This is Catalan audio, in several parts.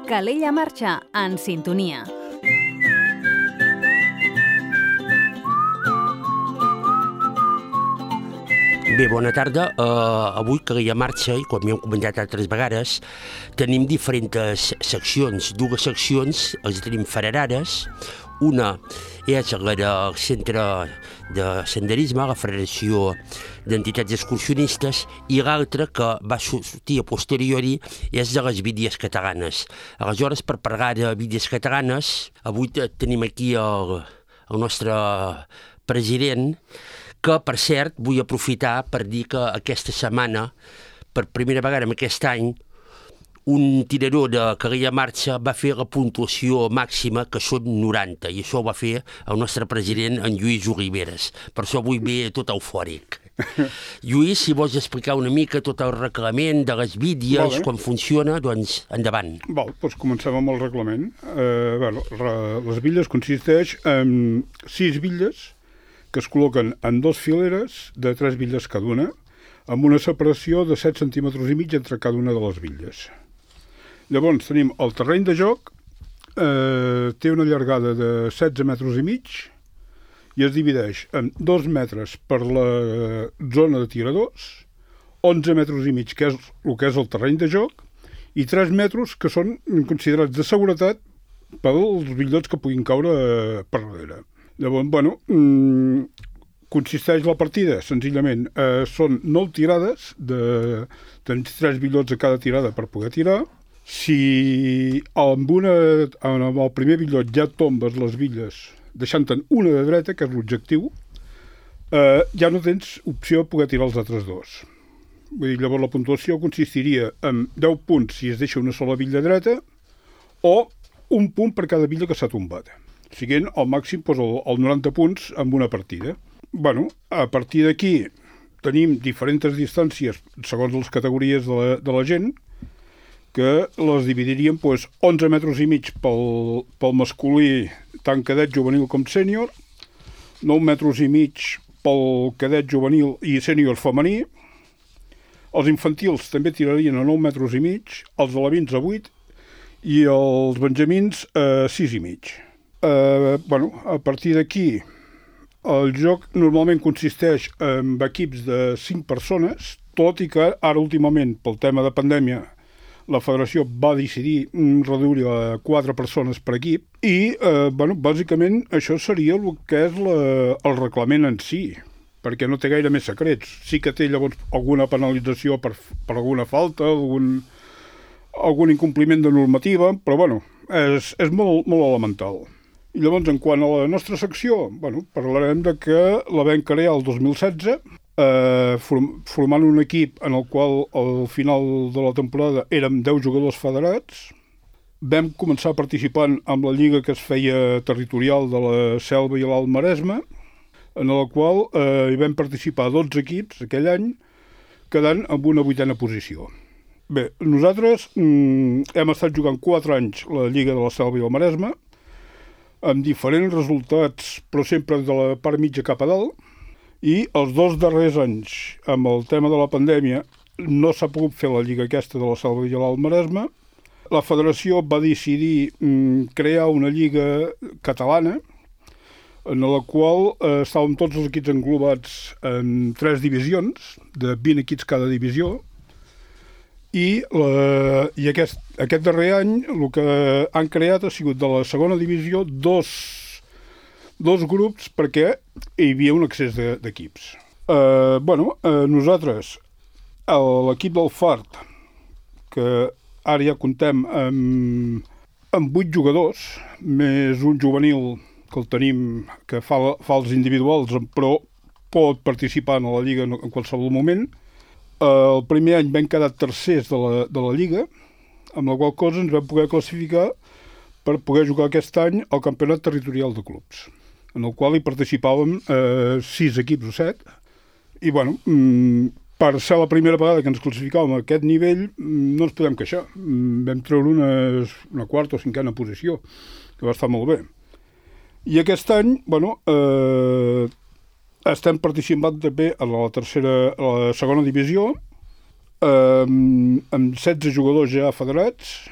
Calella Marxa, en sintonia. Bé, bona tarda. Avui Calella Marxa, i com hem comentat altres vegades, tenim diferents seccions. Dues seccions les tenim federades. Una és la del Centre de Senderisme, la Federació d'Entitats Excursionistes, i l'altra, que va sortir a posteriori, és de les Vídies Catalanes. Aleshores, per parlar de Vídies Catalanes, avui tenim aquí el nostre president, que, per cert, vull aprofitar per dir que aquesta setmana, per primera vegada en aquest any, un tirador de Calella Marxa va fer la puntuació màxima, que són 90, i això ho va fer el nostre president, en Lluís Oliveres. Per això avui ve tot eufòric. Lluís, si vols explicar una mica tot el reglament de les vídies, com funciona, doncs endavant. Doncs comencem amb el reglament. Les vídies consisteix en 6 vídeos que es col·loquen en 2 fileres de 3 vídeos cada una, amb una separació de 7 centímetres i mig entre cada una de les vídees. Llavors tenim el terreny de joc, té una llargada de 16 metres i mig i es divideix en 2 metres per la zona de tiradors, 11 metres i mig, que és el que és el terreny de joc, i 3 metres que són considerats de seguretat pels bitllets que puguin caure per darrere. Llavors, consisteix la partida, senzillament, són 9 tirades, tens 3 bitllets a cada tirada per poder tirar. Si amb el primer bitllet ja tombes les bitlles, deixant-te'n una de dreta, que és l'objectiu, ja no tens opció de poder tirar els altres dos. Vull dir, llavors la puntuació consistiria en 10 punts si es deixa una sola bitlla dreta o un punt per cada bitlla que s'ha tombat, siguent al màxim els 90 punts en una partida. A partir d'aquí tenim diferents distàncies segons les categories de la gent, que les dividiríem 11 metres i mig pel masculí, tant cadet, juvenil com sènior, 9 metres i mig pel cadet, juvenil i sènior femení. Els infantils també tirarien a 9 metres i mig, els alevins a 8 i els benjamins a 6 i mig. A partir d'aquí, el joc normalment consisteix en equips de 5 persones, tot i que ara últimament, pel tema de pandèmia, la federació va decidir reduir a 4 persones per equip i, bàsicament, això seria el que és el reglament en si, perquè no té gaire més secrets. Sí que té llavors alguna penalització per alguna falta, algun incompliment de normativa, però és molt, molt elemental. I llavors, en quant a la nostra secció, parlarem de que la vam crear el 2016, formant un equip en el qual al final de la temporada érem 10 jugadors federats. Vam començar participant amb la lliga que es feia territorial de la Selva i l'Alt Maresme, en la qual hi vam participar 12 equips aquell any, quedant amb una 8a posició. Bé, nosaltres hem estat jugant 4 anys la lliga de la Selva i el Maresme, amb diferents resultats, però sempre de la part mitja cap a dalt, i els 2 darrers anys, amb el tema de la pandèmia, no s'ha pogut fer la lliga aquesta de la Selva i l'Alt Maresme. La federació va decidir crear una lliga catalana, en la qual estàvem tots els equips englobats en 3 divisions, de 20 equips cada divisió, i aquest darrer any el que han creat ha sigut de la segona divisió dos grups perquè hi havia un excés d'equips. Nosaltres, l'equip del Fart, que ara ja comptem amb 8 jugadors, més un juvenil que el tenim, que fa els individuals, però pot participar en la lliga en qualsevol moment. El primer any vam quedar tercers de la lliga, amb la qual cosa ens vam poder classificar per poder jugar aquest any al campionat territorial de clubs, en el qual hi participàvem 6 equips o 7. I, per ser la primera vegada que ens classificàvem a aquest nivell, no ens podem queixar. Vam treure una quarta o 5a posició, que va estar molt bé. I aquest any, estem participant també a la segona divisió, amb 16 jugadors ja federats,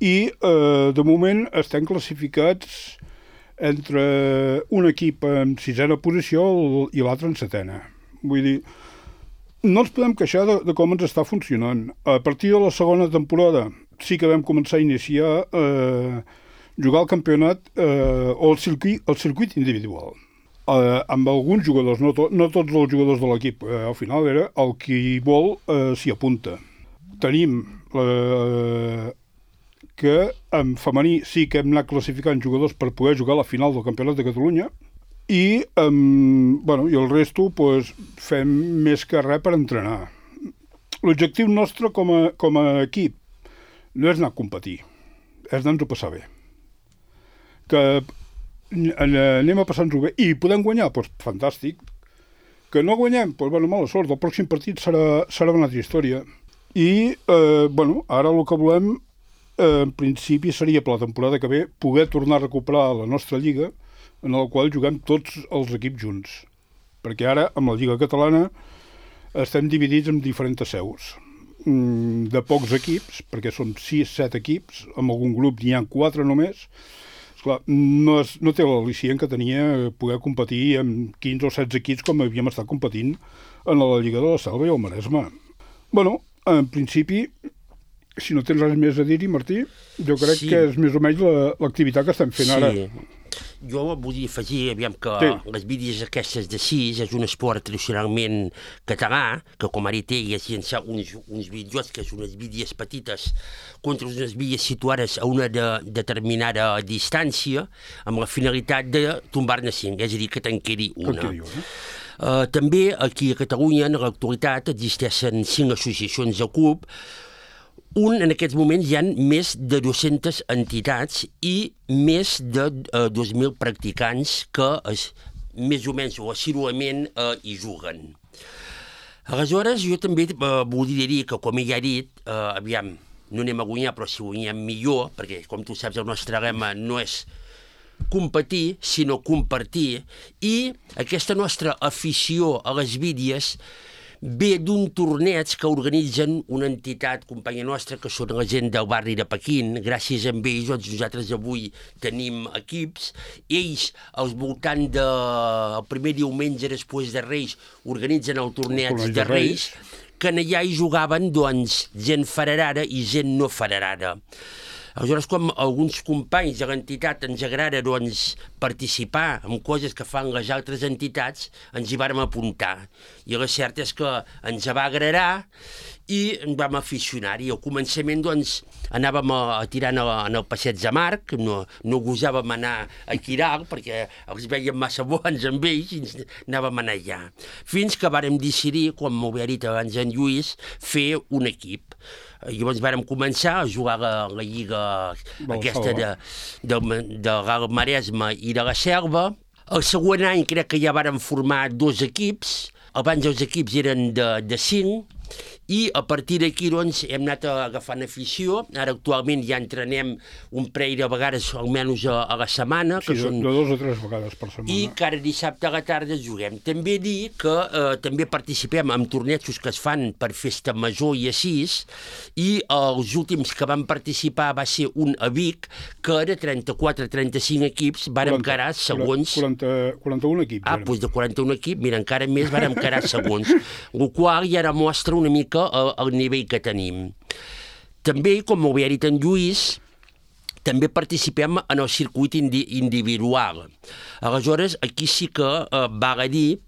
i de moment estem classificats entre un equip en 6a posició i l'altre en 7a. Vull dir, no ens podem queixar de com ens està funcionant. A partir de la segona temporada sí que vam començar a iniciar jugar al campionat o el circuit individual. Amb alguns jugadors, no tots els jugadors de l'equip, al final era el qui vol s'hi apunta. Tenim que en femení sí que hem anat classificant jugadors per poder jugar a la final del Campionat de Catalunya i el resto fem més que res per entrenar. L'objectiu nostre com a equip no és anar a competir, és anar-nos-ho a passar bé. Que anem a passar-nos-ho bé i podem guanyar, doncs fantàstic. Que no guanyem, doncs mala sort, el pròxim partit serà una altra història. I ara el que volem en principi seria per la temporada que ve poder tornar a recuperar la nostra lliga en la qual juguem tots els equips junts. Perquè ara, amb la lliga catalana, estem dividits en diferents seus. De pocs equips, perquè són 6-7 equips, amb algun grup n'hi ha 4 només. Esclar, no té l'al·licient que tenia poder competir amb 15 o 16 equips com havíem estat competint en la Lliga de la Selva i el Maresme. En principi, si no tens res més a dir-hi, Martí, jo crec que és més o menys l'activitat que estem fent ara. Jo vull afegir, aviam, que les bídies aquestes de 6 és un esport tradicionalment català, que com ara té és llançar uns videojocs, que són unes bídies petites contra unes bídies situades a una determinada distància, amb la finalitat de tombar-ne 5, és a dir, que te'n quedi una. També aquí a Catalunya, en l'actualitat, existeixen 5 associacions de club. En aquests moments hi ha més de 200 entitats i més de 2.000 practicants que més o menys o assíduament hi juguen. Aleshores, jo també volia dir que, com ella ha dit, aviam, no anem a guanyar, però si guanyem millor, perquè, com tu saps, el nostre lema no és competir, sinó compartir, i aquesta nostra afició a les bídies ve d'un torneig que organitzen una entitat companya nostra, que són la gent del barri de Pequín. Gràcies a ells, nosaltres avui tenim equips. Ells, al voltant del primer diumenge després de Reis, organitzen el torneig de Reis, que allà hi jugaven gent federada i gent no federada. Aleshores, com alguns companys de l'entitat ens agrada participar en coses que fan les altres entitats, ens hi vàrem apuntar. I la cert és que ens va agradar i ens vam aficionar-hi. Al començament anàvem a tirar en el passeig de Marc, no gosàvem anar a Quiral perquè els veiem massa bons amb ells i anàvem a anar allà. Fins que vàrem decidir, com m'ho havia dit abans en Lluís, fer un equip. Llavors vàrem començar a jugar a la lliga aquesta de l'Alt Maresme i de la Selva. El següent any crec que ja vàrem formar 2 equips. Abans els equips eren de 5 i a partir d'aquí hem anat agafant afició. Ara actualment ja entrenem un parell de vegades almenys a la setmana. Sí, de 2 o 3 vegades per setmana. I cada dissabte a la tarda juguem. També dir que també participem en tornejos que es fan per festa major i així, i els últims que van participar va ser un a Vic, que de 34-35 equips vàrem quedar segons... 41 equips. Doncs de 41 equips, mira, encara més vàrem quedar segons. El qual ja ara mostra una mica el nivell que tenim. També, com ho havia dit en Lluís, també participem en el circuit individual. Aleshores, aquí sí que val a dir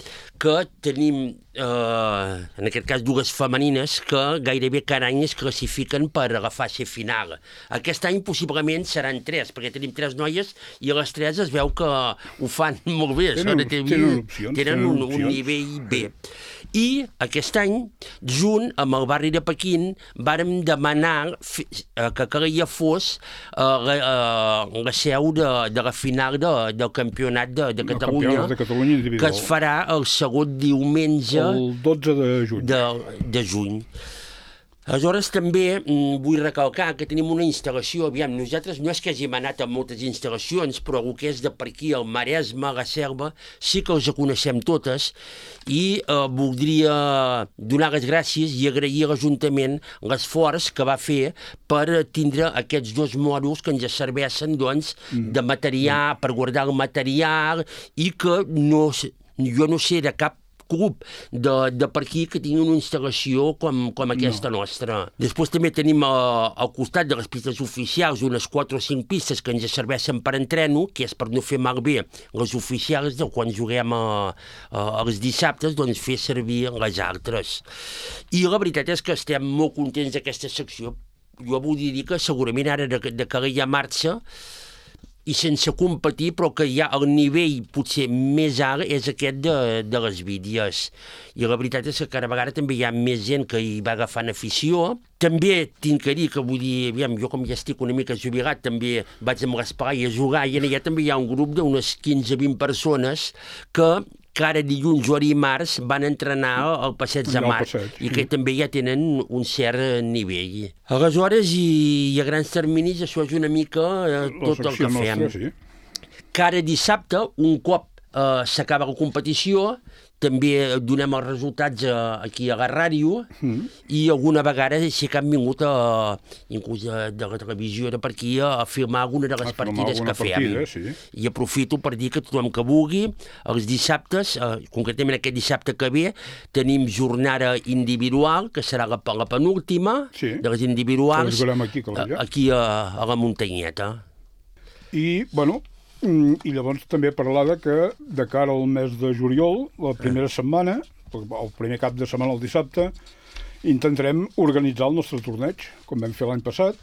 que tenim, en aquest cas, 2 femenines que gairebé cada any es classifiquen per a la fase final. Aquest any possiblement seran 3, perquè tenim 3 noies i a les 3 es veu que ho fan molt bé. Tenen un nivell bé. I aquest any, junt amb el barri de Pequín, vàrem demanar que calia fos la seu de la final del Campionat de Catalunya, que es farà el segon diumenge el 12 de juny. De juny. Aleshores, també vull recalcar que tenim una instal·lació. Aviam, nosaltres no és que hàgim anat a moltes instal·lacions, però el que és de per aquí, el Maresme, la Selva, sí que els coneixem totes i voldria donar les gràcies i agrair a l'Ajuntament l'esforç que va fer per tindre aquests 2 mòduls que ens serveixen, doncs, de material, per guardar el material i que jo no sé de cap club de per aquí que tingui una instal·lació com aquesta nostra. Després també tenim al costat de les pistes oficials unes 4 o 5 pistes que ens serveixen per entreno, que és per no fer malbé les oficials, quan juguem els dissabtes, doncs fer servir les altres. I la veritat és que estem molt contents d'aquesta secció. Jo vull dir que segurament ara de que hi ha marxa, i sense competir, però que ja el nivell potser més alt és aquest de les vídeos. I la veritat és que cada vegada també hi ha més gent que hi va agafant afició. També tinc que dir que, vull dir, aviam, jo com ja estic una mica jubilat, també vaig amb l'esplai a jugar i allà també hi ha un grup d'unes 15-20 persones que cada dilluns o dimarts van entrenar al Passeig de Mar i que també ja tenen un cert nivell. Aleshores, i a grans terminis, això és una mica tot el que fem. Cada dissabte, un cop s'acaba la competició, també donem els resultats aquí a la ràdio i alguna vegada sí que han vingut inclús de la televisió de per aquí a filmar alguna de les partides que fem. I aprofito per dir que tothom que vulgui, els dissabtes, concretament aquest dissabte que ve, tenim jornada individual, que serà la penúltima de les individuals, aquí a la muntanyeta. I, bueno, i llavors també parlar que de cara al mes de juliol, la primera setmana, el primer cap de setmana, el dissabte, intentarem organitzar el nostre torneig, com vam fer l'any passat,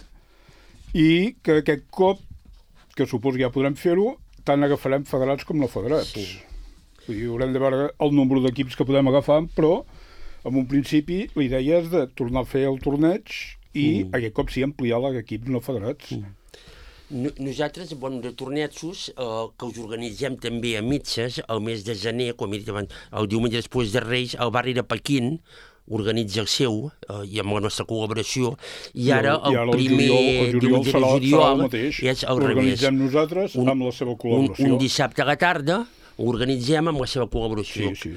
i que aquest cop, que suposo que ja podrem fer-ho, tant agafarem federats com no federats. Vull dir, haurem de veure el nombre d'equips que podem agafar, però en un principi la idea és de tornar a fer el torneig i aquest cop sí ampliar l'equips no federats. Nosaltres, de tornejos, que us organitzem també a mitges, el mes de gener, com he dit abans, el diumenge després de Reis, el barri de Pequín organitza el seu, i amb la nostra col·laboració, i ara el primer diumenge de juliol és al revés. Organitzem nosaltres amb la seva col·laboració. Un dissabte a la tarda ho organitzem amb la seva col·laboració. Sí.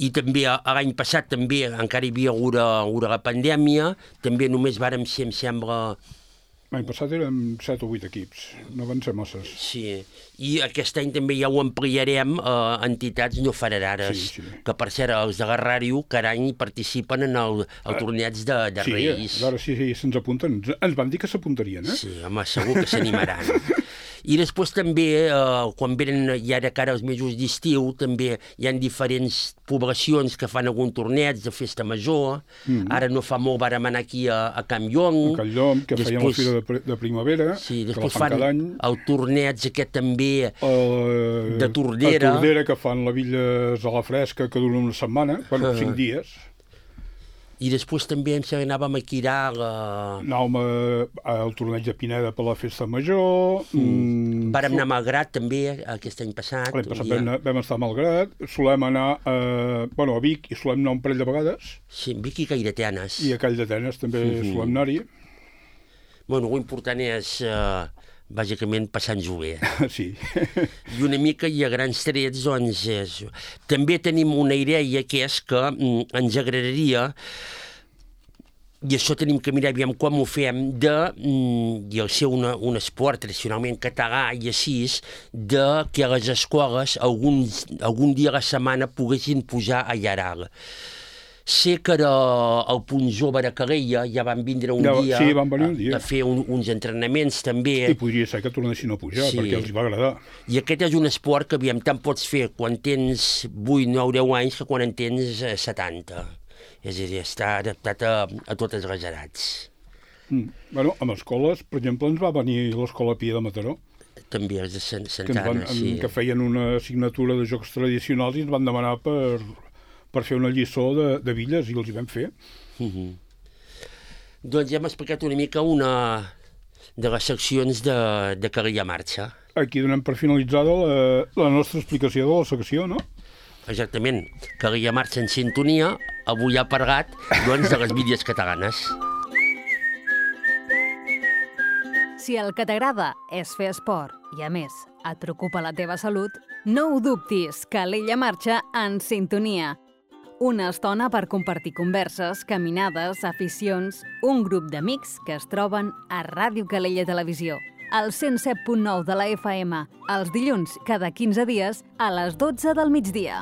I també l'any passat també encara hi havia hagut la pandèmia, també només vàrem ser, em sembla... L'any passat érem 7 o 8 equips, no van ser masses. Sí, i aquest any també ja ho ampliarem a entitats no federades, que per cert, els de la ràdio cada any participen en el torneig de Reis. Sí, ara sí se'ns apunten. Ens van dir que s'apuntarien, Sí, home, segur que s'animaran. I després també, quan venen ja de cara als mesos d'estiu, també hi ha diferents poblacions que fan algun torneig de festa major. Ara no fa molt vàrem anar aquí a Can Llong. A Can Llong, que feien la fira de primavera. Sí, després fan el torneig aquest també de Tordera. A Tordera, que fan la Villes a la Fresca, que dura una setmana, 5 dies. I després també em sembla que anàvem a Quiral. Anàvem al torneig de Pineda per la festa major. Vàrem anar a Malgrat també aquest any passat. L'any passat vam estar a Malgrat. Solem anar a Vic i solem anar un parell de vegades. Sí, Vic i Calldetenes. I a Calldetenes també solem anar-hi. Bueno, l'important és... bàsicament passant-ho bé. Sí. I una mica i a grans trets, doncs, també tenim una idea que és que ens agradaria, i això tenim que mirar aviam com ho fem, i el ser un esport tradicionalment català i així, de que a les escoles algun dia a la setmana poguessin pujar a Llaral. Sé que al Punt Jove de Calella ja van vindre un dia a fer uns entrenaments també. I podria ser que tornessin a pujar, perquè els va agradar. I aquest és un esport que tant pots fer quan tens 8, 9, 10 anys que quan en tens 70. És a dir, està adaptat a totes les edats. Bueno, amb escoles, per exemple, ens va venir l'Escola Pia de Mataró. També els de Santana, sí. Que feien una assignatura de jocs tradicionals i ens van demanar per fer una lliçó de Villes, i els hi vam fer. Doncs ja hem explicat una mica una de les seccions de Calella Marxa. Aquí donem per finalitzada la nostra explicació de la secció, no? exactament, que l'Illa marxa en sintonia, avui ha parlat doncs, de les Bitlles catalanes. Si el que t'agrada és fer esport i, a més, et preocupa la teva salut, no ho dubtis, que l'Illa marxa en sintonia. Una estona per compartir converses, caminades, aficions, un grup d'amics que es troben a Ràdio Calella Televisió, al 107.9 de la FM, els dilluns cada 15 dies a les 12 del migdia.